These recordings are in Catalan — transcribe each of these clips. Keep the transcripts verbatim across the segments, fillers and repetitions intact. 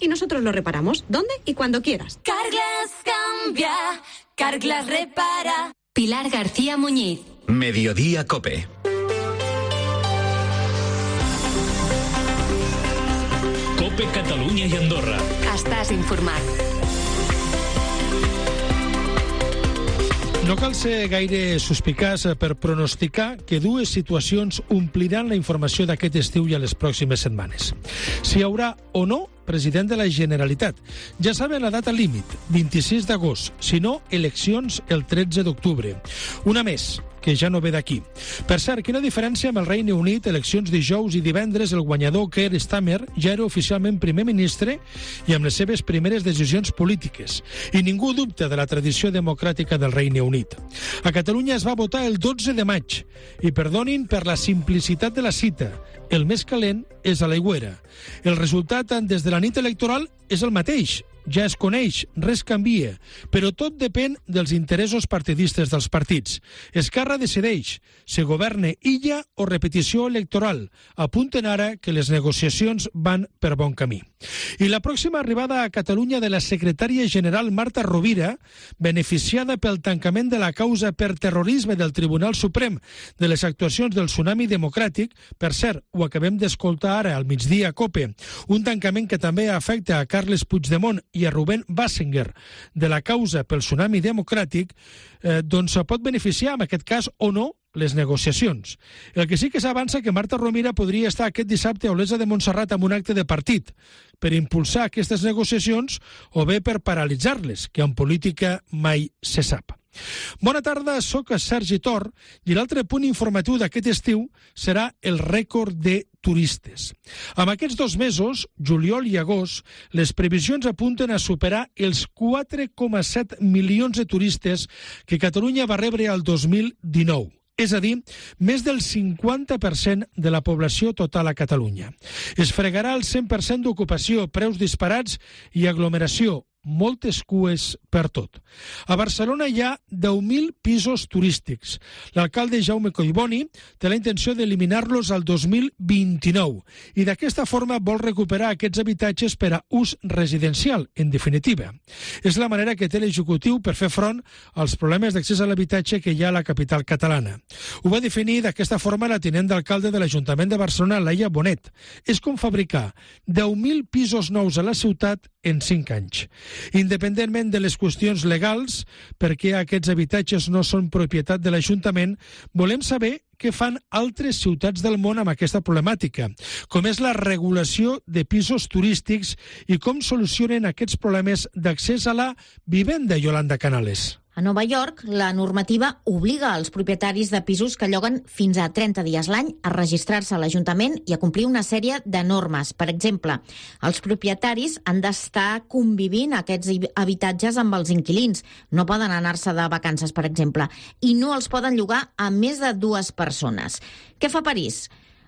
y nosotros lo reparamos donde y cuando quieras. Carglass cambia, Carglass repara. Pilar García Muñiz. Mediodía Cope. Cope Catalunya i Andorra. Estàs informat. No cal ser gaire suspicaç per pronosticar que dues situacions ompliran la informació d'aquest estiu i a les pròximes setmanes. Si hi haurà o no president de la Generalitat. Ja saben la data límit, vint-i-sis d'agost, si no, eleccions el tretze d'octubre. Una més, que ja no ve d'aquí. Per cert, quina diferència amb el Regne Unit, eleccions dijous i divendres, el guanyador Keir Starmer ja era oficialment primer ministre i amb les seves primeres decisions polítiques. I ningú dubta de la tradició democràtica del Regne Unit. A Catalunya es va votar el dotze de maig i perdonin per la simplicitat de la cita, el més calent és a l'aigüera. El resultat des de la nit electoral és el mateix, ja es coneix, res canvia, però tot depèn dels interessos partidistes dels partits. Esquerra decideix si governa illa o repetició electoral. Apunten ara que les negociacions van per bon camí. I la pròxima arribada a Catalunya de la secretària general Marta Rovira, beneficiada pel tancament de la causa per terrorisme del Tribunal Suprem de les actuacions del Tsunami Democràtic, per cert, ho acabem d'escoltar ara al migdia a Cope, un tancament que també afecta a Carles Puigdemont i a Rubén Bassenger de la causa pel Tsunami Democràtic, eh, doncs pot beneficiar, en aquest cas, o no, les negociacions. El que sí que s'avança que Marta Rovira podria estar aquest dissabte a Olesa de Montserrat amb un acte de partit per impulsar aquestes negociacions o bé per paralitzar-les, que en política mai se sap. Bona tarda, sóc Sergi Tor i l'altre punt informatiu d'aquest estiu serà el rècord de turistes. Amb aquests dos mesos, juliol i agost, les previsions apunten a superar els quatre coma set milions de turistes que Catalunya va rebre al dos mil dinou. És a dir, més del cinquanta per cent de la població total a Catalunya. Es fregarà el cent per cent d'ocupació, preus disparats i aglomeració, moltes cues per tot. A Barcelona hi ha deu mil pisos turístics. L'alcalde Jaume Collboni té la intenció d'eliminar-los al dos mil vint-i-nou i d'aquesta forma vol recuperar aquests habitatges per a ús residencial, en definitiva. És la manera que té l'executiu per fer front als problemes d'accés a l'habitatge que hi ha a la capital catalana. Ho va definir d'aquesta forma la tinent d'alcalde de l'Ajuntament de Barcelona, Laia Bonet. És com fabricar deu mil pisos nous a la ciutat en cinc anys. Independentment de les qüestions legals, perquè aquests habitatges no són propietat de l'Ajuntament, volem saber què fan altres ciutats del món amb aquesta problemàtica, com és la regulació de pisos turístics i com solucionen aquests problemes d'accés a la vivenda, Yolanda Canales. A Nova York, la normativa obliga als propietaris de pisos que lloguen fins a trenta dies l'any a registrar-se a l'Ajuntament i a complir una sèrie de normes. Per exemple, els propietaris han d'estar convivint aquests habitatges amb els inquilins. No poden anar-se de vacances, per exemple, i no els poden llogar a més de dues persones. Què fa París?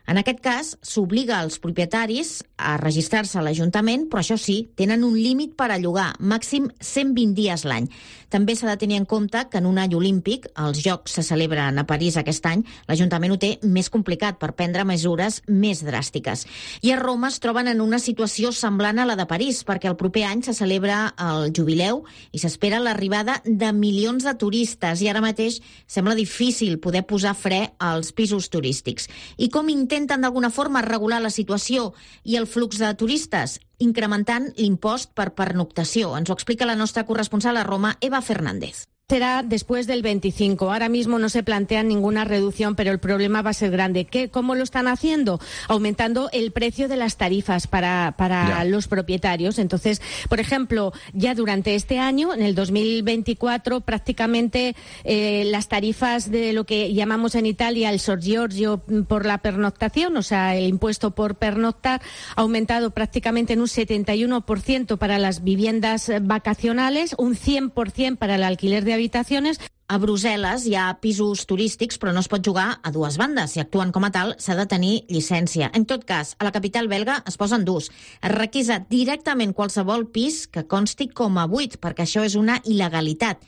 En aquest cas, s'obliga als propietaris a registrar-se a l'Ajuntament, però això sí, tenen un límit per a llogar, màxim cent vint dies l'any. També s'ha de tenir en compte que en un any olímpic, els Jocs se celebren a París aquest any, l'Ajuntament ho té més complicat per prendre mesures més dràstiques. I a Roma es troben en una situació semblant a la de París, perquè el proper any se celebra el jubileu i s'espera l'arribada de milions de turistes i ara mateix sembla difícil poder posar fre als pisos turístics. I com intenten d'alguna forma regular la situació i el flux de turistes? Incrementant l'impost per pernoctació. Ens ho explica la nostra corresponsal a Roma, Eva Fernández. Será después del veinticinco. Ahora mismo no se plantea ninguna reducción, pero el problema va a ser grande. ¿Qué, ¿Cómo lo están haciendo? Aumentando el precio de las tarifas para, para los propietarios. Entonces, por ejemplo, ya durante este año, en el dos mil veinticuatro, prácticamente eh, las tarifas de lo que llamamos en Italia el sorgiorgio por la pernoctación, o sea, el impuesto por pernoctar, ha aumentado prácticamente en un setenta y uno por ciento para las viviendas vacacionales, un cien por ciento para el alquiler de habitaciones. A Brussel·les hi ha pisos turístics, però no es pot jugar a dues bandes. Si actuen com a tal, s'ha de tenir llicència. En tot cas, a la capital belga es posen durs. Es requisa directament qualsevol pis que consti com a buit, perquè això és una il·legalitat.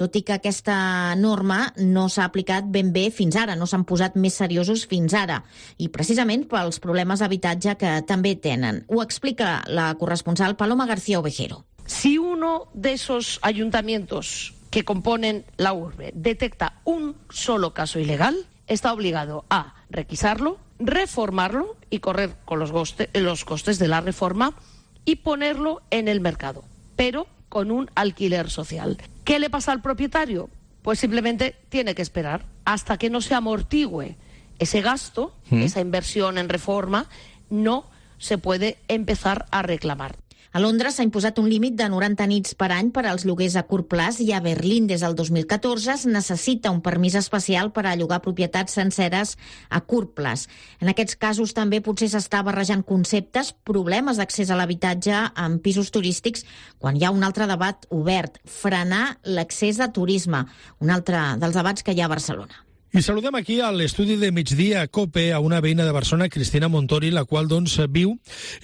tot i que aquesta norma no s'ha aplicat ben bé fins ara, no s'han posat més seriosos fins ara, i precisament pels problemes d'habitatge que també tenen. Ho explica la corresponsal Paloma García Ovejero. Si uno de esos ayuntamientos que componen la urbe detecta un solo caso ilegal, está obligado a requisarlo, reformarlo y correr con los, goste, los costes de la reforma y ponerlo en el mercado, pero con un alquiler social. ¿Qué le pasa al propietario? Pues simplemente tiene que esperar hasta que no se amortigüe ese gasto, ¿Mm? esa inversión en reforma, no se puede empezar a reclamar. A Londres s'ha imposat un límit de noranta nits per any per als lloguers a curt plaç i a Berlín des del dos mil catorze es necessita un permís especial per a llogar propietats senceres a curt plaç. En aquests casos també potser s'està barrejant conceptes, problemes d'accés a l'habitatge en pisos turístics, quan hi ha un altre debat obert, frenar l'accés de turisme, un altre dels debats que hi ha a Barcelona. I saludem aquí a l'estudi de migdia COPE a una veïna de Barcelona, Cristina Montori, la qual doncs viu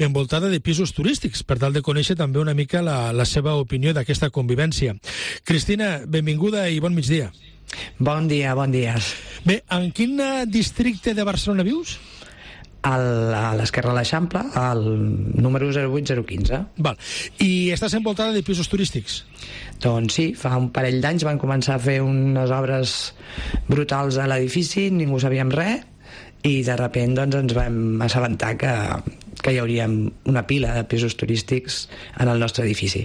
envoltada de pisos turístics, per tal de conèixer també una mica la, la seva opinió d'aquesta convivència. Cristina, benvinguda i bon migdia. Bon dia, bon dia. Bé, en quin districte de Barcelona vius? Al, a l'esquerra de l'Eixample, al número zero vuit zero quinze. Val. I estàs envoltada de pisos turístics? Doncs sí, fa un parell d'anys van començar a fer unes obres brutals a l'edifici, ningú sabíem res, i de sobte doncs, ens vam assabentar que, que hi hauria una pila de pisos turístics en el nostre edifici.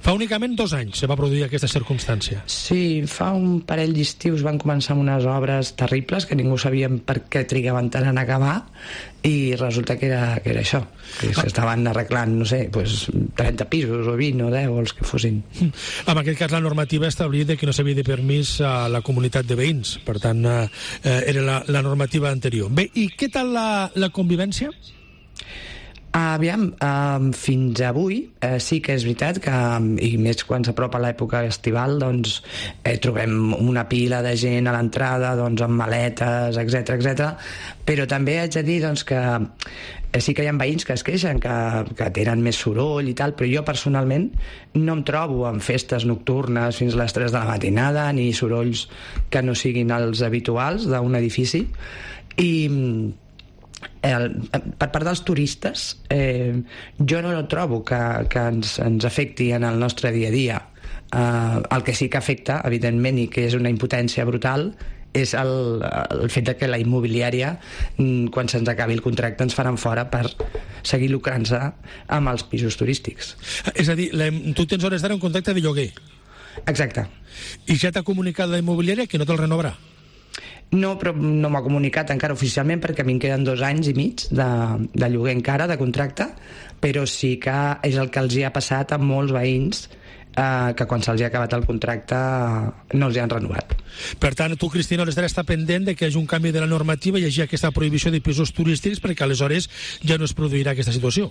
Fa únicament dos anys se va produir aquesta circumstància. Sí, fa un parell d'estius van començar amb unes obres terribles que ningú sabíem per què trigaven tant en acabar, i resulta que era, que era això, que s'estaven arreglant, no sé, pues, trenta pisos o vint o deu, els que fossin. En aquest cas la normativa establia que no s'havia de permís a la comunitat de veïns, per tant eh, era la, la normativa anterior. Bé, i què tal la, la convivència? Aviam, um, fins avui eh, sí que és veritat que, i més quan s'apropa l'època estival, doncs eh, trobem una pila de gent a l'entrada, doncs amb maletes, etcètera, etcètera. Però també haig de dir doncs, que eh, sí que hi ha veïns que es queixen, que, que tenen més soroll i tal, però jo personalment no em trobo en festes nocturnes fins a les tres de la matinada, ni sorolls que no siguin els habituals d'un edifici. I El, per part dels turistes eh, jo no trobo que, que ens, ens afecti en el nostre dia a dia. Eh, el que sí que afecta, evidentment, i que és una impotència brutal, és el, el fet de que la immobiliària, quan se'ns acabi el contracte, ens faran fora per seguir lucrant-se amb els pisos turístics. És a dir, la, tu tens hores d'ara un contracte de lloguer. Exacte. I ja t'ha comunicat la immobiliària que no te'l renovarà? No, però no m'ha comunicat encara oficialment, perquè a mi em queden dos anys i mig de, de lloguer encara, de contracte, però sí que és el que els hi ha passat a molts veïns, eh, que quan se'ls ha acabat el contracte no els hi han renovat. Per tant, tu, Cristina, has d'estar pendent de que hi hagi un canvi de la normativa i hi hagi aquesta prohibició de pisos turístics, perquè aleshores ja no es produirà aquesta situació.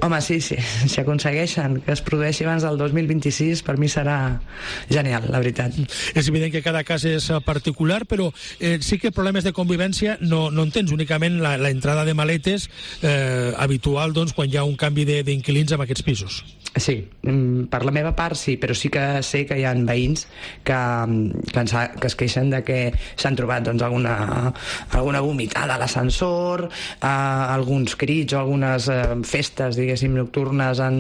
Home, sí, sí, si aconsegueixen que es produeixi abans del dos mil vint-i-sis, per mi serà genial, la veritat. És evident que cada cas és particular, però eh, sí que problemes de convivència no, no en tens, únicament la, la entrada de maletes eh, habitual, doncs, quan hi ha un canvi d'inquilins en aquests pisos. Sí, per la meva part sí, però sí que sé que hi ha veïns que, que, ens ha, que es queixen de que s'han trobat doncs, alguna, alguna vomitada a l'ascensor, eh, alguns crits o algunes eh, festes, diguéssim, nocturnes en,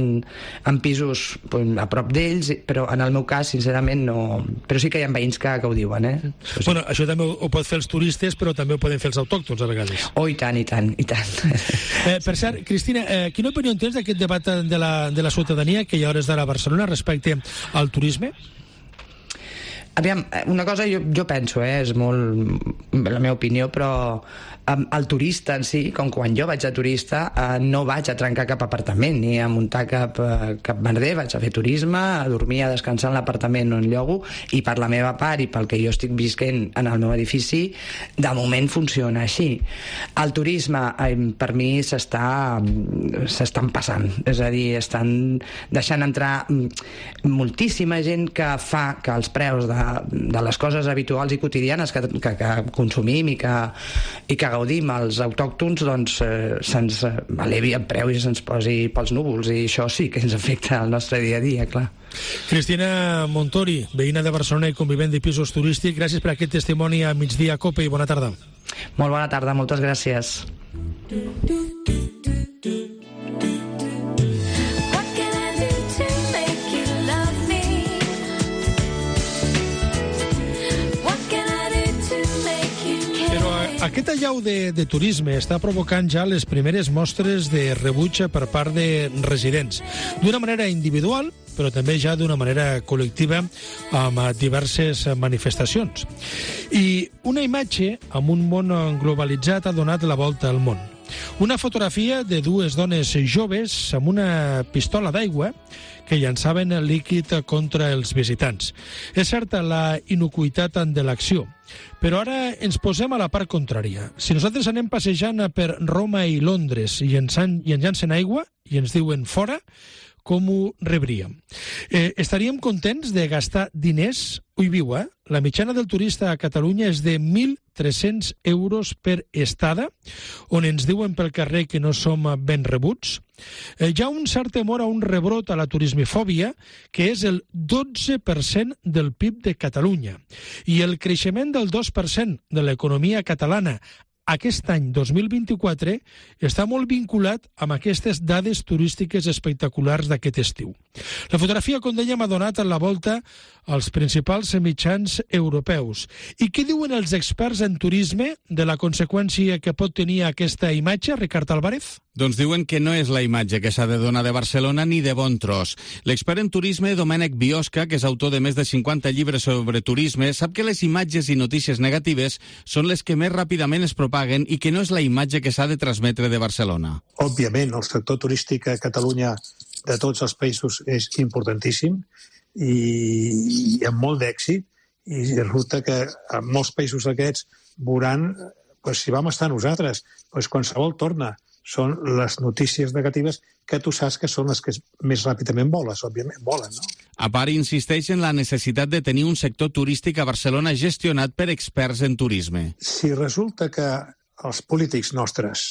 en pisos pues, a prop d'ells, però en el meu cas, sincerament, no. Però sí que hi ha veïns que, que ho diuen, eh? Això sí. Bueno, això també ho, ho pot fer els turistes, però també ho poden fer els autòctons, a vegades. Oh, i tant, i tant, i tant. Eh, per cert, Cristina, eh, quina opinió tens d'aquest debat de la, de la ciutadania que hi ha hores d'ara a Barcelona respecte al turisme? Aviam, una cosa jo, jo penso, eh, és molt la meva opinió, però el turista en si, com quan jo vaig a turista, eh, no vaig a trencar cap apartament ni a muntar cap, cap merder, vaig a fer turisme, a dormir, a descansar en l'apartament on llogo, i per la meva part i pel que jo estic visquent en el meu edifici, de moment funciona així. El turisme, eh, per mi, s'està s'estan passant, és a dir, estan deixant entrar moltíssima gent que fa que els preus de, de les coses habituals i quotidianes que, que, que consumim i que, i que gaudim els autòctons, doncs eh, se'ns elevi el preu i se'ns posi pels núvols, i això sí que ens afecta al nostre dia a dia, clar. Cristina Montori, veïna de Barcelona i convivent de pisos turístics, gràcies per aquest testimoni a Migdia Cope i bona tarda. Molt bona tarda, moltes gràcies. Aquest allau de, de turisme està provocant ja les primeres mostres de rebuig per part de residents, d'una manera individual, però també ja d'una manera col·lectiva amb diverses manifestacions. I una imatge amb un món globalitzat ha donat la volta al món. Una fotografia de dues dones joves amb una pistola d'aigua que llançaven el líquid contra els visitants. És certa la inocuïtat de l'acció, però ara ens posem a la part contrària. Si nosaltres anem passejant per Roma i Londres i ens, han, i ens llancen aigua i ens diuen fora, com ho rebríem? Eh, estaríem contents de gastar diners? Ui, viu, eh? La mitjana del turista a Catalunya és de mil tres-cents euros per estada, on ens diuen pel carrer que no som ben rebuts. Eh, hi ha un cert temor a un rebrot a la turismofòbia, que és el dotze per cent del P I B de Catalunya. I el creixement del dos per cent de l'economia catalana aquest any dos mil vint-i-quatre està molt vinculat amb aquestes dades turístiques espectaculars d'aquest estiu. La fotografia, com dèiem, ha donat la volta als principals mitjans europeus. I què diuen els experts en turisme de la conseqüència que pot tenir aquesta imatge, Ricard Álvarez? Doncs diuen que no és la imatge que s'ha de donar de Barcelona ni de bon tros. L'expert en turisme, Domènec Biosca, que és autor de més de cinquanta llibres sobre turisme, sap que les imatges i notícies negatives són les que més ràpidament es propaguen i que no és la imatge que s'ha de transmetre de Barcelona. Òbviament, el sector turístic a Catalunya de tots els països és importantíssim i, i amb molt d'èxit, i resulta que en molts països aquests veuran, pues, si vam estar nosaltres, pues, qualsevol torna. Són les notícies negatives que tu saps que són les que més ràpidament voles, òbviament, volen, no? A part, insisteix en la necessitat de tenir un sector turístic a Barcelona gestionat per experts en turisme. Si resulta que els polítics nostres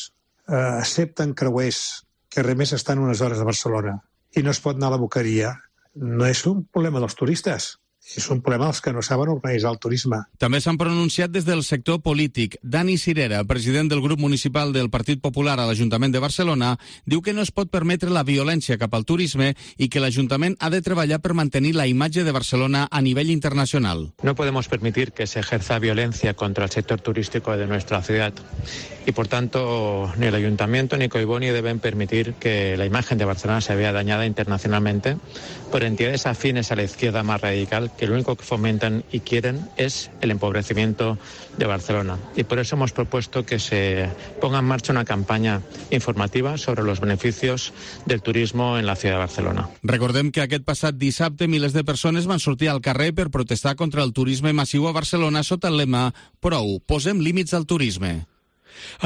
eh, accepten creuers que a més estan unes hores a Barcelona i no es pot anar a la Boqueria, no és un problema dels turistes. És un problema dels que no saben organitzar el turisme. També s'han pronunciat des del sector polític. Dani Cirera, president del grup municipal del Partit Popular a l'Ajuntament de Barcelona, diu que no es pot permetre la violència cap al turisme i que l'Ajuntament ha de treballar per mantenir la imatge de Barcelona a nivell internacional. No podemos permitir que se ejerza violencia contra el sector turístico de nuestra ciudad y, por tanto, ni el Ayuntamiento ni Collboni deben permitir que la imagen de Barcelona se vea dañada internacionalmente por entidades afines a la izquierda más radical que lo único que fomentan y quieren es el empobrecimiento de Barcelona. Y por eso hemos propuesto que se ponga en marcha una campaña informativa sobre los beneficios del turismo en la ciudad de Barcelona. Recordem que aquest passat dissabte milers de persones van sortir al carrer per protestar contra el turisme massiu a Barcelona sota el lema «Prou, posem límits al turisme».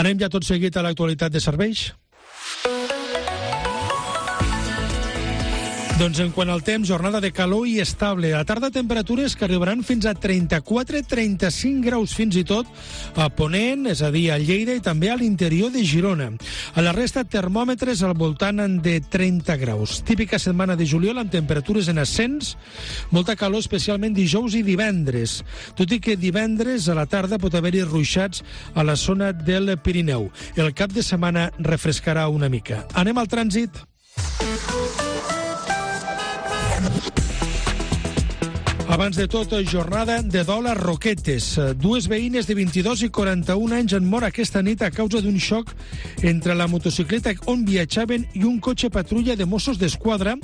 Anem ja tot seguit a l'actualitat de serveis. Doncs en quant al temps, jornada de calor i estable. A tarda, temperatures que arribaran fins a trenta-quatre a trenta-cinc graus fins i tot a Ponent, és a dir, a Lleida i també a l'interior de Girona. A la resta, termòmetres al voltant de trenta graus. Típica setmana de juliol amb temperatures en ascens, molta calor especialment dijous i divendres, tot i que divendres a la tarda pot haver-hi ruixats a la zona del Pirineu. El cap de setmana refrescarà una mica. Anem al trànsit. Abans de tot, jornada de dol a Roquetes. Dues veïnes de vint-i-dos i quaranta-un anys han mort aquesta nit a causa d'un xoc entre la motocicleta on viatjaven i un cotxe patrulla de Mossos d'Esquadra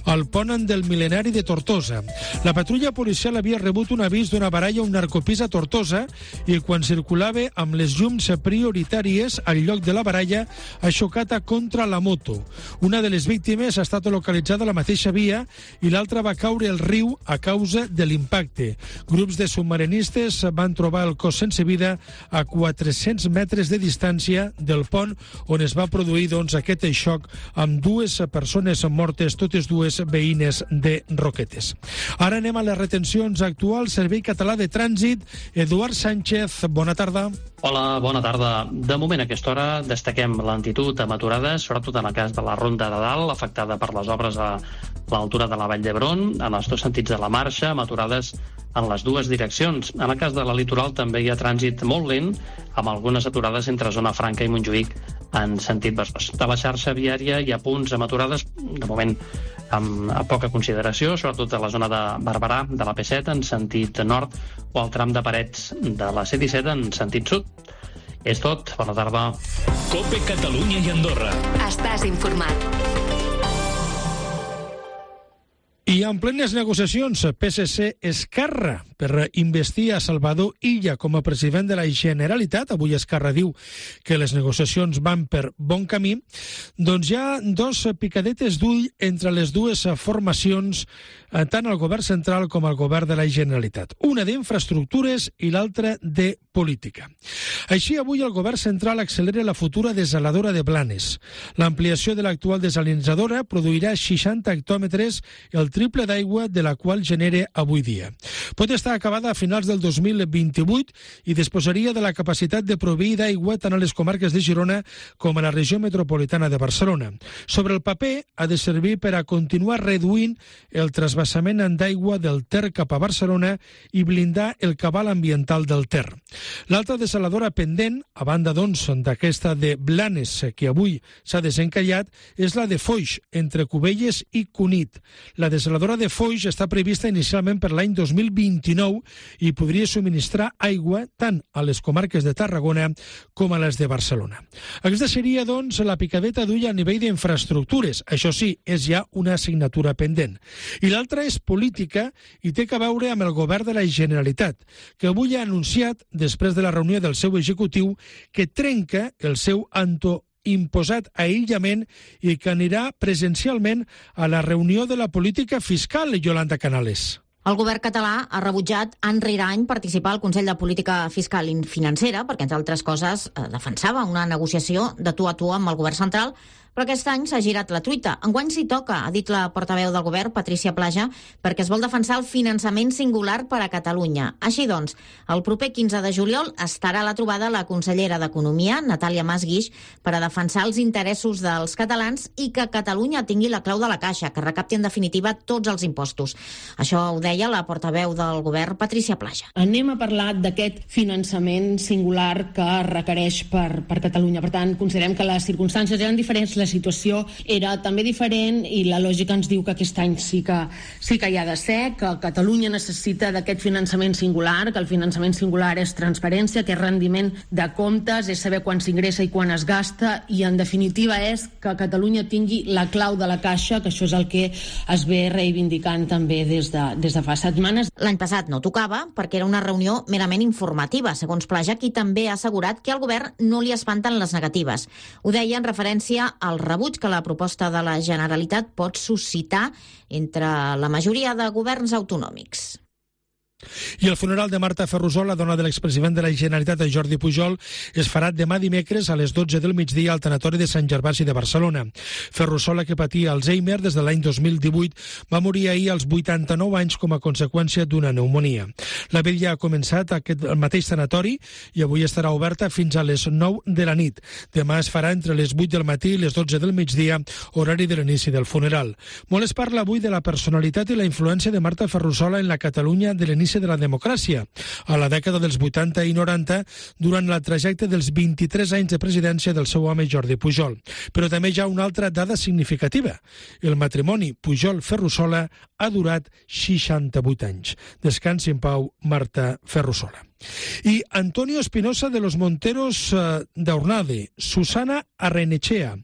al pont del Mil·lenari de Tortosa. La patrulla policial havia rebut un avís d'una baralla a un narcopís a Tortosa i quan circulava amb les llums prioritàries al lloc de la baralla ha xocat contra la moto. Una de les víctimes ha estat localitzada a la mateixa via i l'altra va caure al riu a causa de l'impacte. Grups de submarinistes van trobar el cos sense vida a quatre-cents metres de distància del pont on es va produir doncs, aquest xoc amb dues persones mortes, totes dues veïnes de Roquetes. Ara anem a les retencions actuals. Servei Català de Trànsit. Eduard Sánchez, bona tarda. Hola, bona tarda. De moment, a aquesta hora, destaquem lentitud amb aturades, sobretot en el cas de la Ronda de Dalt, afectada per les obres a l'altura de la Vall d'Hebron, en els dos sentits de la marxa, amb aturades en les dues direccions. En el cas de la litoral també hi ha trànsit molt lent, amb algunes aturades entre Zona Franca i Montjuïc en sentit Besòs. De la xarxa viària hi ha punts amb aturades, de moment amb poca consideració, sobretot a la zona de Barberà, de la P set en sentit nord, o al tram de Parets de la C disset en sentit sud. És tot. Bona tarda. Cope Catalunya i Andorra. Estàs informat. I en plenes negociacions, P S C-Esquerra per investir a Salvador Illa com a president de la Generalitat. Avui Esquerra diu que les negociacions van per bon camí. Doncs hi ha dos picadetes d'ull entre les dues formacions, tant al govern central com al govern de la Generalitat. Una d'infraestructures i l'altra de política. Així, avui el govern central accelera la futura desaladora de Blanes. L'ampliació de l'actual desalinitzadora produirà seixanta hectòmetres, el triple d'aigua de la qual genera avui dia. Pot estar acabada a finals del dos mil vint-i-vuit i disposaria de la capacitat de proveir d'aigua tant a les comarques de Girona com a la regió metropolitana de Barcelona. Sobre el paper, ha de servir per a continuar reduint el trasbassament d'aigua del Ter cap a Barcelona i blindar el cabal ambiental del Ter. L'altra desaladora pendent, a banda doncs d'aquesta de Blanes, que avui s'ha desencallat, és la de Foix, entre Cubelles i Cunit. La desaladora de Foix està prevista inicialment per l'any dos mil vint-i-nou i podria subministrar aigua tant a les comarques de Tarragona com a les de Barcelona. Aquesta seria, doncs, la picadeta d'ull a nivell d'infraestructures. Això sí, és ja una assignatura pendent. I l'altra és política i té a veure amb el govern de la Generalitat, que avui ha anunciat, després de la reunió del seu executiu, que trenca el seu anto imposat aïllament i que anirà presencialment a la reunió de la política fiscal, Yolanda Canales. El govern català ha rebutjat any rere any participar al Consell de Política Fiscal i Financera perquè, entre altres coses, defensava una negociació de tu a tu amb el govern central, però aquest any s'ha girat la truita. Enguany s'hi toca, ha dit la portaveu del govern, Patricia Plaja, perquè es vol defensar el finançament singular per a Catalunya. Així doncs, el proper quinze de juliol estarà a la trobada la consellera d'Economia, Natàlia Mas Guix, per a defensar els interessos dels catalans i que Catalunya tingui la clau de la caixa, que recapti en definitiva tots els impostos. Això ho deia la portaveu del govern, Patricia Plaja. Anem a parlar d'aquest finançament singular que requereix per, per Catalunya. Per tant, considerem que les circumstàncies eren diferents, la situació era també diferent i la lògica ens diu que aquest any sí que, sí que hi ha de ser, que Catalunya necessita d'aquest finançament singular, que el finançament singular és transparència, que és rendiment de comptes, és saber quan s'ingressa i quan es gasta i, en definitiva, és que Catalunya tingui la clau de la caixa, que això és el que es ve reivindicant també des de, des de fa setmanes. L'any passat no tocava perquè era una reunió merament informativa, segons Plaja, qui també ha assegurat que al govern no li espanten les negatives. Ho deia en referència al el rebuig que la proposta de la Generalitat pot suscitar entre la majoria de governs autonòmics. I el funeral de Marta Ferrusola, dona de l'expresident de la Generalitat, Jordi Pujol, es farà demà dimecres a les dotze del migdia al tanatori de Sant Gervasi de Barcelona. Ferrusola, que patia Alzheimer des de l'any dos mil divuit, va morir ahir als vuitanta-nou anys com a conseqüència d'una pneumonia. La vetlla ha començat aquest el mateix tanatori i avui estarà oberta fins a les nou de la nit. Demà es farà entre les vuit del matí i les dotze del migdia, horari de l'inici del funeral. Molt es parla avui de la personalitat i la influència de Marta Ferrusola en la Catalunya de l'inici de la democràcia, a la dècada dels vuitanta i noranta, durant la trajecte dels vint-i-tres anys de presidència del seu home Jordi Pujol. Però també hi ha una altra dada significativa. El matrimoni Pujol-Ferrusola ha durat seixanta-vuit anys. Descansi en pau, Marta Ferrusola. I Antonio Espinosa de los Monteros uh, d'Ornade, Susana Arrenechea,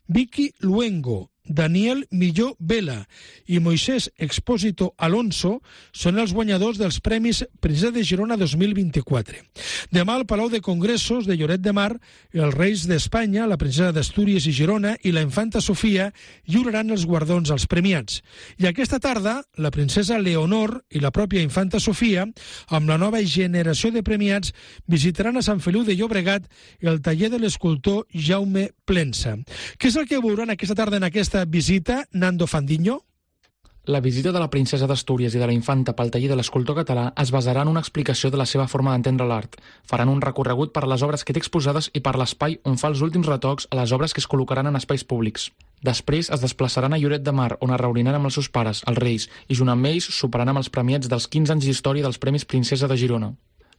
Vicky Luengo, Daniel Milló Vela i Moisés Expósito Alonso són els guanyadors dels Premis Princesa de Girona dos mil vint-i-quatre. Demà al Palau de Congressos de Lloret de Mar, els Reis d'Espanya, la Princesa d'Astúries i Girona i la Infanta Sofia lliuraran els guardons als premiats. I aquesta tarda, la Princesa Leonor i la pròpia Infanta Sofia, amb la nova generació de premiats, visitaran a Sant Feliu de Llobregat el taller de l'escultor Jaume Plensa. Què és el que veuran aquesta tarda en aquesta visita, Nando Fandiño? La visita de la princesa d'Astúries i de la infanta pel taller de l'escultor català es basarà en una explicació de la seva forma d'entendre l'art. Faran un recorregut per les obres que té exposades i per l'espai on fa els últims retocs a les obres que es col·locaran en espais públics. Després es desplaçaran a Lloret de Mar, on es reuniran amb els seus pares, els Reis, i junt amb ells soparan amb els premiats dels quinze anys d'història dels Premis Princesa de Girona.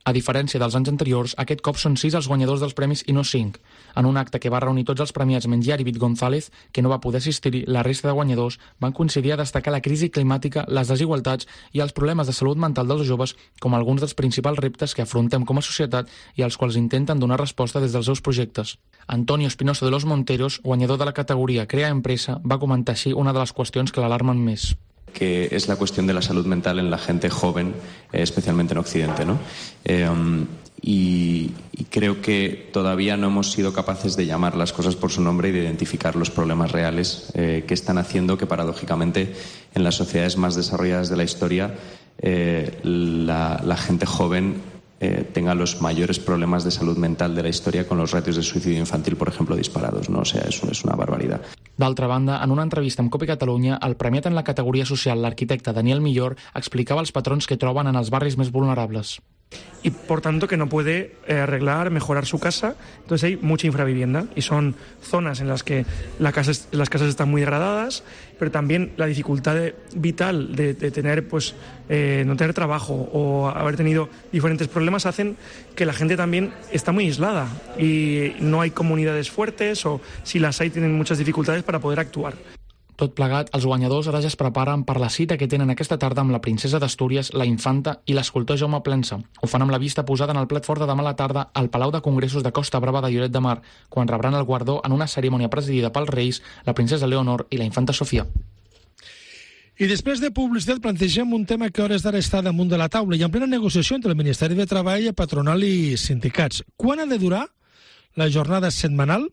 A diferència dels anys anteriors, aquest cop són sis els guanyadors dels premis i no cinc. En un acte que va reunir tots els premiats menys Yaribit González, que no va poder assistir-hi, la resta de guanyadors van coincidir a destacar la crisi climàtica, les desigualtats i els problemes de salut mental dels joves com alguns dels principals reptes que afrontem com a societat i als quals intenten donar resposta des dels seus projectes. Antonio Espinosa de los Monteros, guanyador de la categoria Crea Empresa, va comentar així una de les qüestions que l'alarmen més. Que es la cuestión de la salud mental en la gente joven, eh, especialmente en Occidente, ¿no? Eh, um, y, y creo que todavía no hemos sido capaces de llamar las cosas por su nombre y de identificar los problemas reales eh, que están haciendo que, paradójicamente, en las sociedades más desarrolladas de la historia, eh, la, la gente joven Eh, tenga los mayores problemas de salud mental de la historia, con los ratios de suicidio infantil, por ejemplo, disparados, ¿no? O sea, es, es una barbaridad. D'altra banda, en una entrevista amb Cope Catalunya, el premiat en la categoria social, l'arquitecte Daniel Millor, explicava els patrons que troben en els barris més vulnerables. Y por tanto que no puede eh, arreglar, mejorar su casa. Entonces hay mucha infravivienda y son zonas en las que la casa, las casas están muy degradadas, pero también la dificultad de, vital de, de tener, pues, eh, no tener trabajo o haber tenido diferentes problemas hacen que la gente también está muy aislada y no hay comunidades fuertes, o si las hay tienen muchas dificultades para poder actuar. Tot plegat, els guanyadors ara ja es preparen per la cita que tenen aquesta tarda amb la princesa d'Astúries, la infanta i l'escultor Jaume Plensa. Ho fan amb la vista posada en el plat fort de demà a la tarda al Palau de Congressos de Costa Brava de Lloret de Mar, quan rebran el guardó en una cerimònia presidida pels Reis, la princesa Leonor i la infanta Sofia. I després de publicitat plantegem un tema que a hores d'ara està damunt de la taula i en plena negociació entre el Ministeri de Treball, patronal i sindicats. Quan ha de durar la jornada setmanal?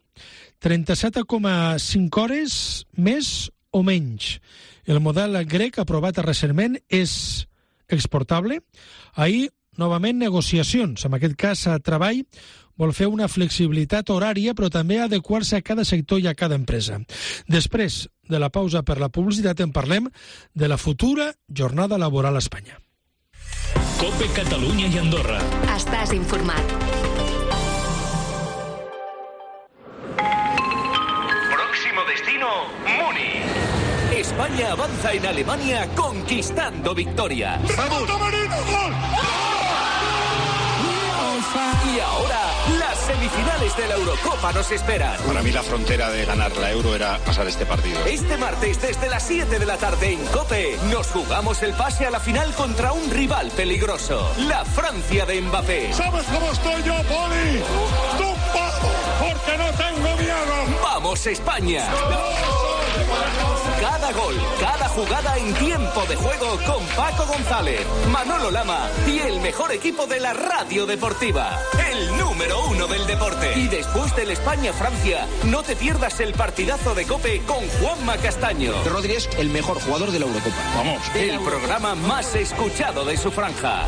trenta-set coma cinc hores més o menys. El model grec aprovat recentment és exportable. Ahir, novament, negociacions. En aquest cas, Treball vol fer una flexibilitat horària, però també adequar-se a cada sector i a cada empresa. Després de la pausa per la publicitat, en parlem de la futura jornada laboral a Espanya. COPE Catalunya i Andorra. Estàs informat. Destino Múnich. España avanza en Alemania conquistando victoria. ¡Vamos! Y ahora las semifinales de la Eurocopa nos esperan. Para mí la frontera de ganar la Euro era pasar este partido. Este martes desde las siete de la tarde en COPE nos jugamos el pase a la final contra un rival peligroso, la Francia de Mbappé. ¿Sabes cómo estoy yo, Poli? ¡Tumbado! Porque no tengo miedo. ¡Vamos, España! Cada gol, cada jugada en tiempo de juego con Paco González, Manolo Lama y el mejor equipo de la radio deportiva, el número uno del deporte. Y después del España-Francia, no te pierdas el partidazo de COPE con Juanma Castaño. Rodri es el mejor jugador de la Eurocopa. Vamos. El programa más escuchado de su franja.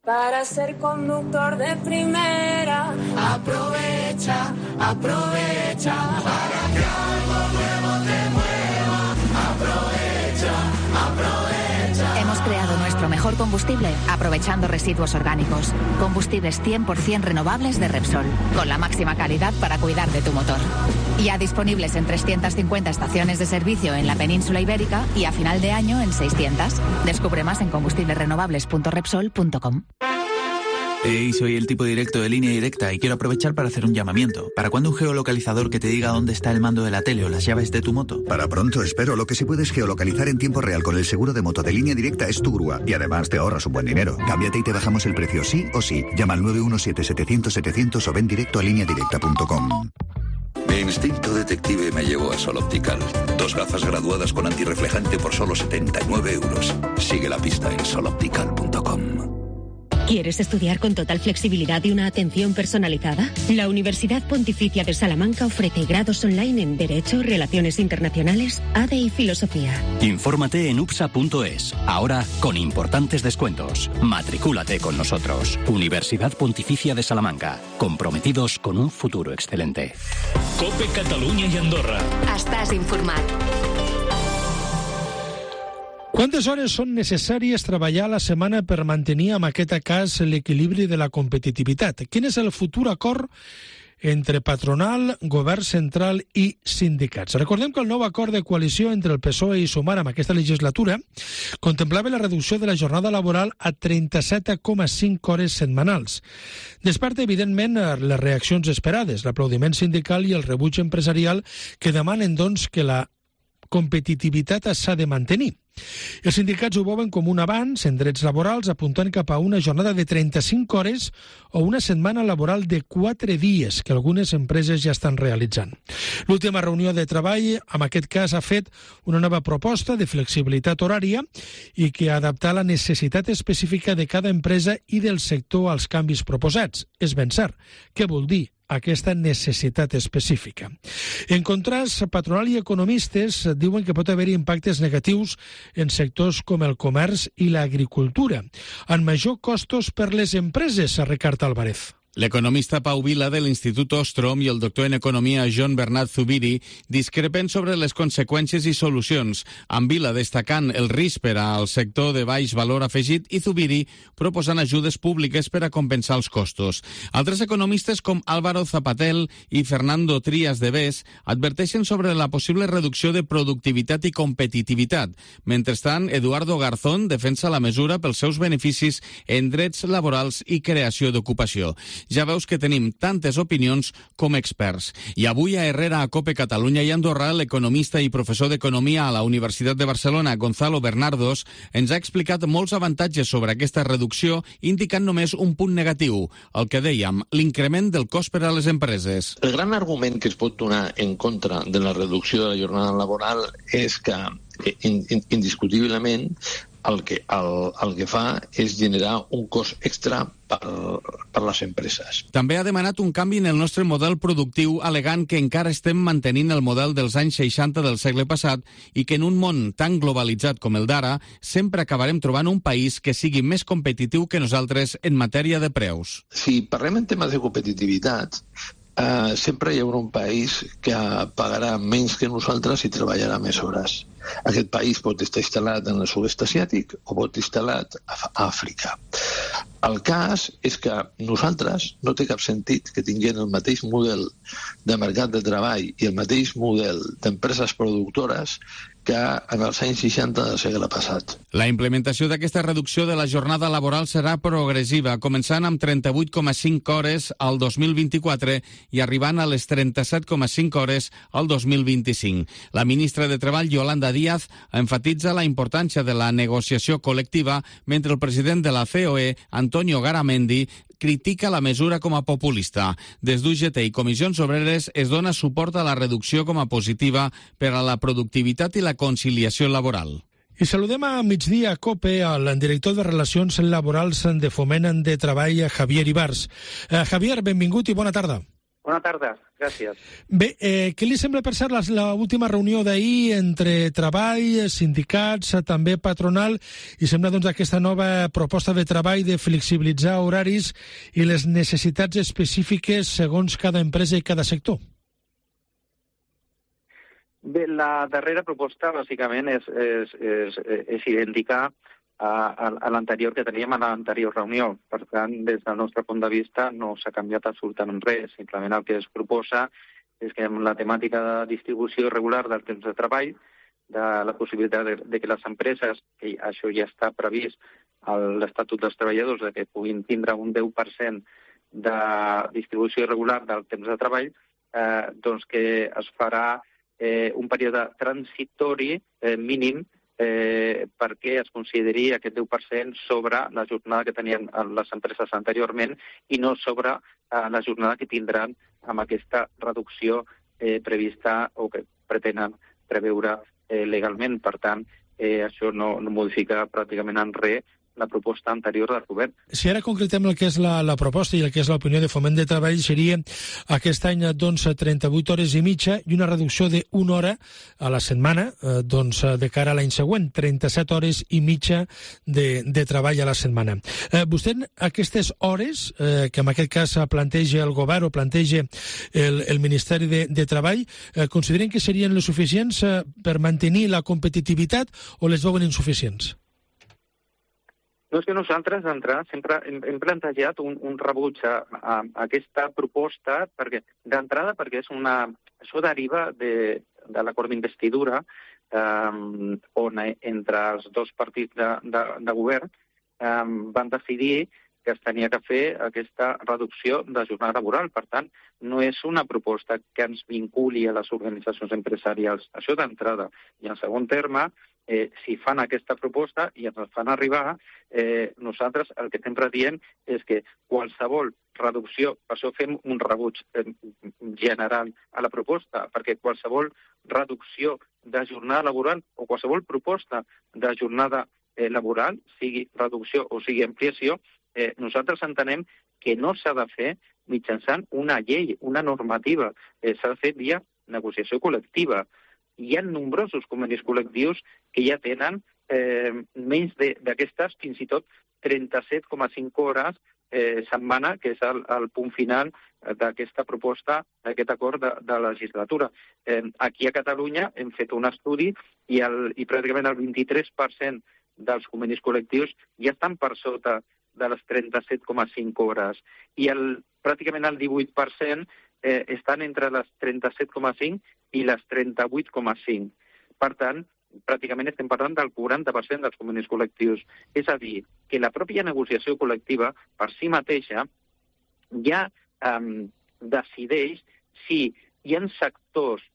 Para ser conductor de primera, aprovecha, aprovecha, para que algo nuevo te mueva, aprovecha, aprovecha. Hemos creado nuestro mejor combustible aprovechando residuos orgánicos. Combustibles cien por ciento renovables de Repsol, con la máxima calidad para cuidar de tu motor. Ya disponibles en trescientas cincuenta estaciones de servicio en la península ibérica y a final de año en seiscientas. Descubre más en combustibles renovables punto repsol punto com. Hey, soy el tipo directo de Línea Directa y quiero aprovechar para hacer un llamamiento. ¿Para cuándo un geolocalizador que te diga dónde está el mando de la tele o las llaves de tu moto? Para pronto, espero. Lo que sí puedes geolocalizar en tiempo real con el seguro de moto de Línea Directa es tu grúa. Y además te ahorras un buen dinero. Cámbiate y te bajamos el precio sí o sí. Llama al nueve uno siete, setecientos, setecientos o ven directo a línea directa punto com. Mi instinto detective me llevó a Sol Optical. Dos gafas graduadas con antirreflejante por solo setenta y nueve euros. Sigue la pista en sol optical punto com. ¿Quieres estudiar con total flexibilidad y una atención personalizada? La Universidad Pontificia de Salamanca ofrece grados online en Derecho, Relaciones Internacionales, A D E y Filosofía. Infórmate en U P S A punto es. Ahora con importantes descuentos. Matricúlate con nosotros. Universidad Pontificia de Salamanca. Comprometidos con un futuro excelente. Cope Catalunya i Andorra. Estàs informat. Quantes hores són necessàries treballar a la setmana per mantenir en aquest cas l'equilibri de la competitivitat? Quin és el futur acord entre patronal, govern central i sindicats? Recordem que el nou acord de coalició entre el P S O E i Sumar en aquesta legislatura contemplava la reducció de la jornada laboral a trenta-set coma cinc hores setmanals. Desperta, evidentment, les reaccions esperades, l'aplaudiment sindical i el rebuig empresarial que demanen, doncs, que la competitivitat s'ha de mantenir. Els sindicats ho veuen com un avanç en drets laborals, apuntant cap a una jornada de trenta-cinc hores o una setmana laboral de quatre dies, que algunes empreses ja estan realitzant. L'última reunió de treball, en aquest cas, ha fet una nova proposta de flexibilitat horària i que ha adaptat la necessitat específica de cada empresa i del sector als canvis proposats. És ben cert. Què vol dir aquesta necessitat específica? En contrast, patronal i economistes diuen que pot haver impactes negatius en sectors com el comerç i l'agricultura, amb major costos per les empreses, Ricard Álvarez. L'economista Pau Vila de l'Institut Ostrom i el doctor en Economia Joan Bernat Zubiri discrepen sobre les conseqüències i solucions, amb Vila destacant el risc per al sector de baix valor afegit i Zubiri proposant ajudes públiques per a compensar els costos. Altres economistes com Álvaro Zapatel i Fernando Trías de Bes adverteixen sobre la possible reducció de productivitat i competitivitat. Mentrestant, Eduardo Garzón defensa la mesura pels seus beneficis en drets laborals i creació d'ocupació. Ja veus que tenim tantes opinions com experts. I avui a Herrera, a Cope Catalunya i Andorra, l'economista i professor d'Economia a la Universitat de Barcelona, Gonzalo Bernardos, ens ha explicat molts avantatges sobre aquesta reducció, indicant només un punt negatiu, el que dèiem, l'increment del cost per a les empreses. El gran argument que es pot donar en contra de la reducció de la jornada laboral és que, indiscutiblement, el que, el, el que fa és generar un cost extra per, per les empreses. També ha demanat un canvi en el nostre model productiu, alegant que encara estem mantenint el model dels anys seixanta del segle passat i que en un món tan globalitzat com el d'ara sempre acabarem trobant un país que sigui més competitiu que nosaltres en matèria de preus. Si parlem en temes de competitivitat, Uh, sempre hi haurà un país que pagarà menys que nosaltres i treballarà més hores. Aquest país pot estar instal·lat en el sud-est asiàtic o pot estar instal·lat a Àfrica. El cas és que nosaltres no té cap sentit que tinguem el mateix model de mercat de treball i el mateix model d'empreses productores que en els anys seixanta del segle passat. La implementació d'aquesta reducció de la jornada laboral serà progressiva, començant amb trenta-vuit coma cinc hores al dos mil vint-i-quatre i arribant a les trenta-set coma cinc hores al dos mil vint-i-cinc. La ministra de Treball, Yolanda Díaz, enfatitza la importància de la negociació col·lectiva, mentre el president de la C O E, Antonio Garamendi, critica la mesura com a populista. Des d'U G T i Comissions Obreres es dona suport a la reducció com a positiva per a la productivitat i la conciliació laboral. I saludem a migdia a COPE al director de Relacions Laborals de Foment de Treball, Javier Ibars. Eh, Javier, benvingut i bona tarda. Bona tarda, gràcies. Bé, eh, què li sembla per cert l'última reunió d'ahir entre treball, sindicats, també patronal, i sembla doncs aquesta nova proposta de treball de flexibilitzar horaris i les necessitats específiques segons cada empresa i cada sector? Bé, la darrera proposta bàsicament és, és, és, és idèntica a, a l'anterior que teníem a l'anterior reunió. Per tant, des del nostre punt de vista no s'ha canviat absolutament res. Simplement el que es proposa és que amb la temàtica de distribució regular del temps de treball, de la possibilitat de, de que les empreses, que això ja està previst a l'Estatut dels Treballadors, de que puguin tindre un deu per cent de distribució regular del temps de treball, eh, doncs que es farà eh, un període transitori eh, mínim Eh, perquè es consideri aquest deu per cent sobre la jornada que tenien les empreses anteriorment i no sobre eh, la jornada que tindran amb aquesta reducció eh, prevista o que pretenen preveure eh, legalment. Per tant, eh, això no, no modifica pràcticament en res la proposta anterior del govern. Si ara concretem el que és la, la proposta i el que és l'opinió de Foment de Treball, seria aquest any doncs, trenta-vuit hores i mitja i una reducció d'una hora a la setmana eh, doncs, de cara a l'any següent, trenta-set hores i mitja de, de treball a la setmana. Eh, vostè, aquestes hores eh, que en aquest cas planteja el govern o planteja el, el Ministeri de, de Treball, eh, consideren que serien les suficients eh, per mantenir la competitivitat o les veuen insuficients? No, és que nosaltres d'entrada sempre hem, hem plantejat un, un rebuig a, a, a aquesta proposta, perquè d'entrada perquè és una, això deriva de, de l'acord d'investidura eh, on entre els dos partits de, de, de govern eh, van decidir que es tenia que fer aquesta reducció de jornada laboral. Per tant, no és una proposta que ens vinculi a les organitzacions empresarials. Això d'entrada. I en segon terme, eh, si fan aquesta proposta i ens fan arribar, eh, nosaltres el que sempre diem és que qualsevol reducció, per això fem un rebuig eh, general a la proposta, perquè qualsevol reducció de jornada laboral o qualsevol proposta de jornada eh, laboral, sigui reducció o sigui ampliació, Eh, nosaltres entenem que no s'ha de fer mitjançant una llei, una normativa. Eh, s'ha de fer via negociació col·lectiva. Hi ha nombrosos convenis col·lectius que ja tenen eh, menys d'aquestes, fins i tot trenta-set coma cinc hores eh, setmana, que és el, el punt final d'aquesta proposta, d'aquest acord de, de legislatura. Eh, aquí a Catalunya hem fet un estudi i, el, i pràcticament el vint-i-tres per cent dels convenis col·lectius ja estan per sota de les trenta-set coma cinc hores. I el, pràcticament el divuit per cent eh, estan entre les trenta-set coma cinc i les trenta-vuit coma cinc. Per tant, pràcticament estem parlant del quaranta per cent dels convenis col·lectius. És a dir, que la pròpia negociació col·lectiva, per si mateixa, ja eh, decideix si hi ha sectors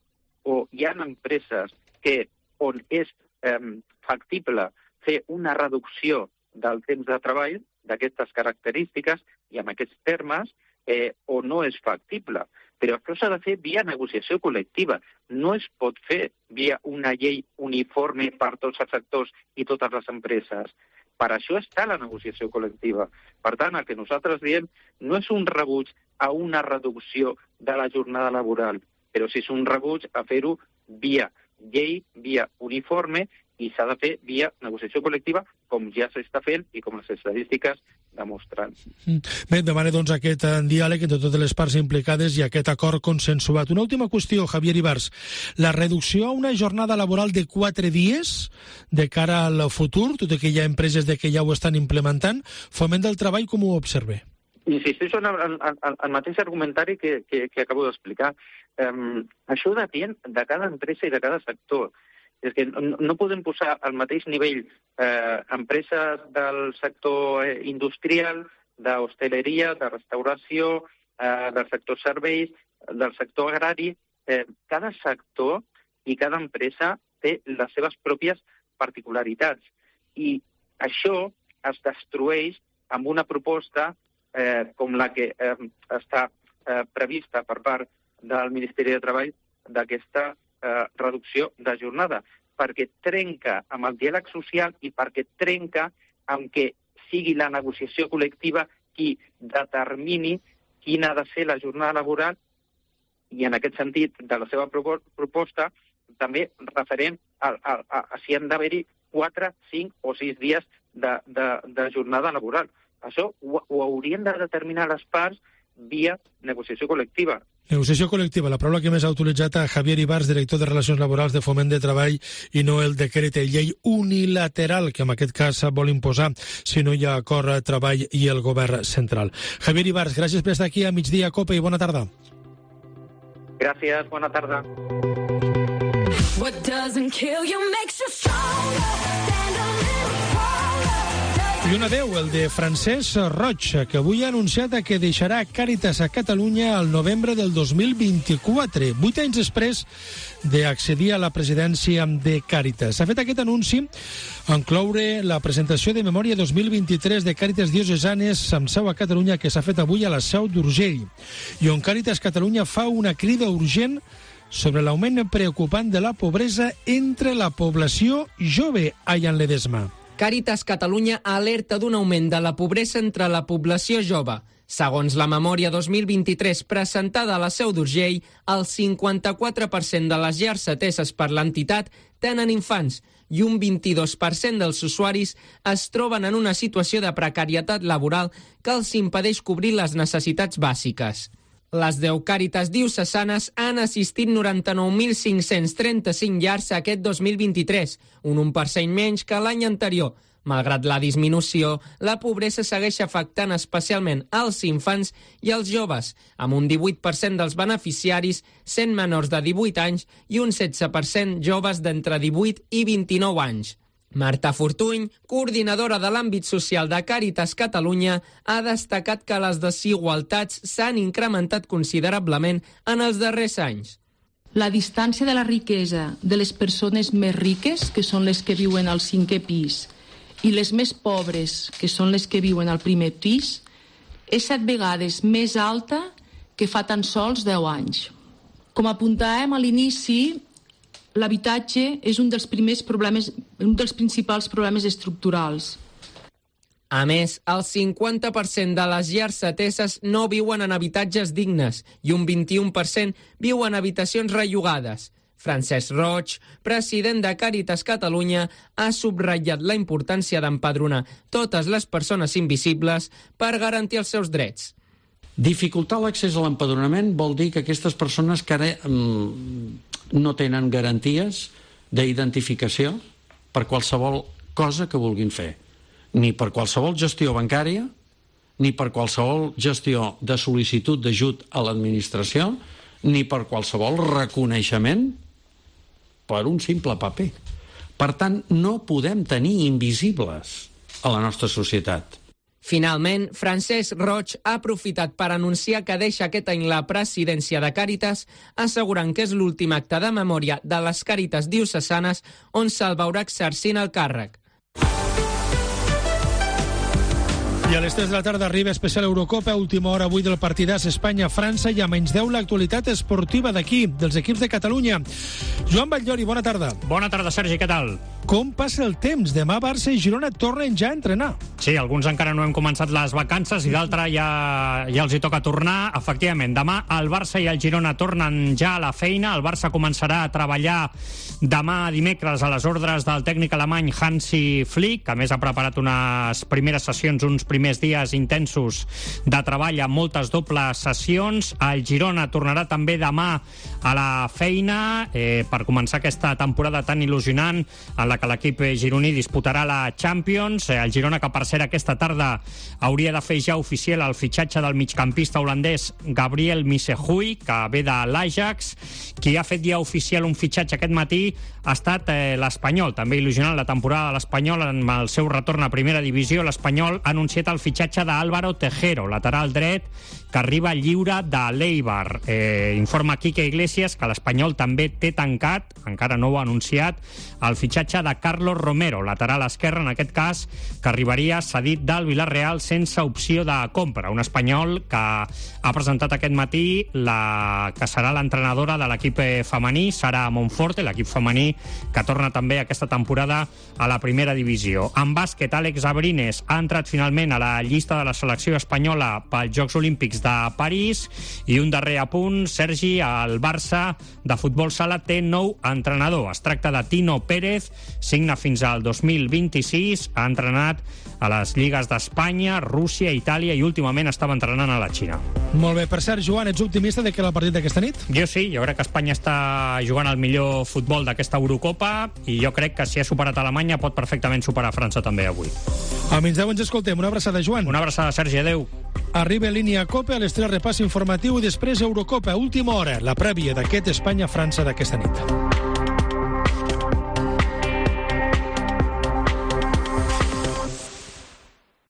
o hi ha empreses que on és eh, factible fer una reducció del temps de treball d'aquestes característiques i amb aquests termes, eh, o no és factible. Però això s'ha de fer via negociació col·lectiva. No es pot fer via una llei uniforme per tots els sectors i totes les empreses. Per això està la negociació col·lectiva. Per tant, el que nosaltres diem no és un rebuig a una reducció de la jornada laboral, però sí és un rebuig a fer-ho via llei, via uniforme, i s'ha de fer via negociació col·lectiva, com ja s'està fent i com les estadístiques demostren. Bé, demana doncs aquest diàleg entre totes les parts implicades i aquest acord consensuat. Una última qüestió, Javier Ibars. La reducció a una jornada laboral de quatre dies de cara al futur, tot i que hi ha empreses de que ja ho estan implementant, Foment del Treball com ho observe? Insisteixo en el, en el mateix argumentari que, que, que acabo d'explicar. Um, això depèn de cada empresa i de cada sector. És que no, no podem posar al mateix nivell eh, empreses del sector eh, industrial, d'hostaleria, de restauració, eh, del sector serveis, del sector agrari. Eh, cada sector i cada empresa té les seves pròpies particularitats. I això es destrueix amb una proposta eh, com la que eh, està eh, prevista per part del Ministeri de Treball d'aquesta Eh, reducció de jornada, perquè trenca amb el diàleg social i perquè trenca amb que sigui la negociació col·lectiva qui determini quina ha de ser la jornada laboral i en aquest sentit de la seva proposta també referent a, a, a, a si han d'haver-hi quatre, cinc o sis dies de, de, de jornada laboral. Això ho, ho haurien de determinar les parts via negociació col·lectiva. Negociació col·lectiva, la paraula que més ha utilitzat a Javier Ibars, director de Relacions Laborals de Foment de Treball, i no el decret de llei unilateral que en aquest cas vol imposar si no hi ha acord a Treball i el govern central. Javier Ibars, gràcies per estar aquí a Migdia Cope i bona tarda. Gràcies, bona tarda. What doesn't kill you makes you stronger. Stand a little stronger. I un adeu, el de Francesc Roig, que avui ha anunciat que deixarà Càritas a Catalunya al novembre del dos mil vint-i-quatre, vuit anys després d'accedir a la presidència de Càritas. S'ha fet aquest anunci en cloure la presentació de Memòria dos mil vint-i-tres de Càritas Diocesanes amb seu a Catalunya, que s'ha fet avui a la Seu d'Urgell, i on Càritas Catalunya fa una crida urgent sobre l'augment preocupant de la pobresa entre la població jove a Llan Ledesma. Càritas Catalunya alerta d'un augment de la pobresa entre la població jove. Segons la memòria dos mil vint-i-tres presentada a la Seu d'Urgell, el cinquanta-quatre per cent de les llars ateses per l'entitat tenen infants i un vint-i-dos per cent dels usuaris es troben en una situació de precarietat laboral que els impedeix cobrir les necessitats bàsiques. Les deu Càritas diocesanes han assistit noranta-nou mil cinc-cents trenta-cinc llars aquest dos mil vint-i-tres, un un per cent menys que l'any anterior. Malgrat la disminució, la pobresa segueix afectant especialment als infants i als joves, amb un divuit per cent dels beneficiaris sent menors de divuit anys i un setze per cent joves d'entre divuit i vint-i-nou anys. Marta Fortuny, coordinadora de l'àmbit social de Càritas Catalunya, ha destacat que les desigualtats s'han incrementat considerablement en els darrers anys. La distància de la riquesa de les persones més riques, que són les que viuen al cinquè pis, i les més pobres, que són les que viuen al primer pis, és set vegades més alta que fa tan sols deu anys. Com apuntàvem a l'inici, l'habitatge és un dels primers problemes, un dels principals problemes estructurals. A més, el cinquanta per cent de les llars ateses no viuen en habitatges dignes i un vint-i-un per cent viu en habitacions rellogades. Francesc Roig, president de Càritas Catalunya, ha subratllat la importància d'empadronar totes les persones invisibles per garantir els seus drets. Dificultar l'accés a l'empadronament vol dir que aquestes persones que ara mm, no tenen garanties d'identificació per qualsevol cosa que vulguin fer, ni per qualsevol gestió bancària, ni per qualsevol gestió de sol·licitud d'ajut a l'administració, ni per qualsevol reconeixement per un simple paper. Per tant, no podem tenir invisibles a la nostra societat. Finalment, Francesc Roig ha aprofitat per anunciar que deixa aquest any la presidència de Càritas, assegurant que és l'últim acte de memòria de les Càritas diocesanes on se'l veurà exercint el càrrec. I a les tres de la tarda arriba especial Eurocopa, última hora avui del partidàs Espanya-França i a menys deu l'actualitat esportiva d'aquí, dels equips de Catalunya. Joan Batllori, bona tarda. Bona tarda, Sergi, què tal? Com passa el temps? Demà Barça i Girona tornen ja a entrenar. Sí, alguns encara no hem començat les vacances i d'altres ja, ja els hi toca tornar. Efectivament, demà el Barça i el Girona tornen ja a la feina. El Barça començarà a treballar demà dimecres a les ordres del tècnic alemany Hansi Flick, que a més ha preparat unes primeres sessions, uns primers dies intensos de treball amb moltes dobles sessions. El Girona tornarà també demà a la feina eh, per començar aquesta temporada tan il·lusionant en la que l'equip gironí disputarà la Champions. El Girona, que per cert aquesta tarda hauria de fer ja oficial el fitxatge del migcampista holandès Gabriel Missehui, que ve de l'Ajax. Qui ha fet ja oficial un fitxatge aquest matí ha estat eh, l'Espanyol, també il·lusionant la temporada de l'Espanyol amb el seu retorn a primera divisió. L'Espanyol ha anunciat el fitxatge d'Álvaro Tejero, lateral dret, que arriba lliure de l'Eibar. Eh, informa Quique Iglesias que l'Espanyol també té tancat, encara no ho ha anunciat, el fitxatge de Carlos Romero, lateral esquerre, en aquest cas, que arribaria cedit del Villarreal sense opció de compra. Un espanyol que ha presentat aquest matí la que serà l'entrenadora de l'equip femení, Sara Monforte, l'equip femení que torna també aquesta temporada a la primera divisió. En bàsquet, Àlex Abrines ha entrat finalment a la llista de la selecció espanyola pels Jocs Olímpics de París. I un darrer apunt, Sergi, el Barça de futbol sala té nou entrenador. Es tracta de Tino Pérez, signa fins al dos mil vint-i-sis, ha entrenat a les lligues d'Espanya, Rússia, Itàlia i últimament estava entrenant a la Xina. Molt bé, per cert, Joan, ets optimista de que el partit d'aquesta nit? Jo sí, jo crec que Espanya està jugant el millor futbol d'aquesta Eurocopa i jo crec que si ha superat Alemanya pot perfectament superar França també avui. A menys deu ens escoltem. Una abraçada, Joan. Una abraçada, Sergi, adeu. Arriba línia Copa, a les tres repàs informatiu i després Eurocopa, última hora, la prèvia d'aquest Espanya-França d'aquesta nit.